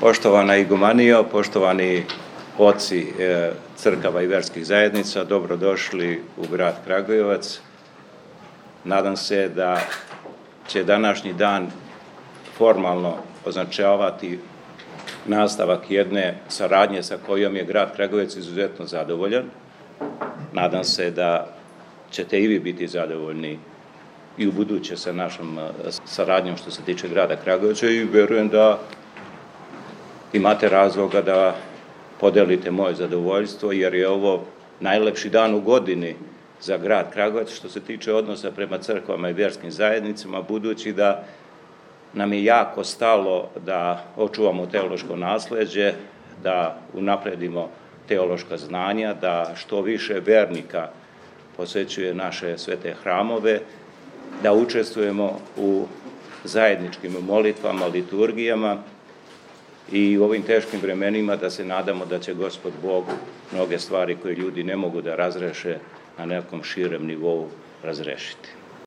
Poštovana igumanijo, poštovani oci crkava i verskih zajednica, dobrodošli u grad Kragujevac. Nadam se da će današnji dan formalno označavati nastavak jedne saradnje sa kojom je grad Kragujevac izuzetno zadovoljan. Nadam se da ćete i vi biti zadovoljni i u buduće sa našom saradnjom što se tiče grada Kragujevca i verujem da imate razloga da podelite moje zadovoljstvo, jer je ovo najlepši dan u godini za grad Kragujevac što se tiče odnosa prema crkvama i vjerskim zajednicama, budući da nam je jako stalo da očuvamo teološko nasleđe, da unapredimo teološka znanja, da što više vernika posećuje naše svete hramove, da učestvujemo u zajedničkim molitvama, liturgijama i u ovim teškim vremenima da se nadamo da će Gospod Bog mnoge stvari koje ljudi ne mogu da razreše na nekom širem nivou razrešiti.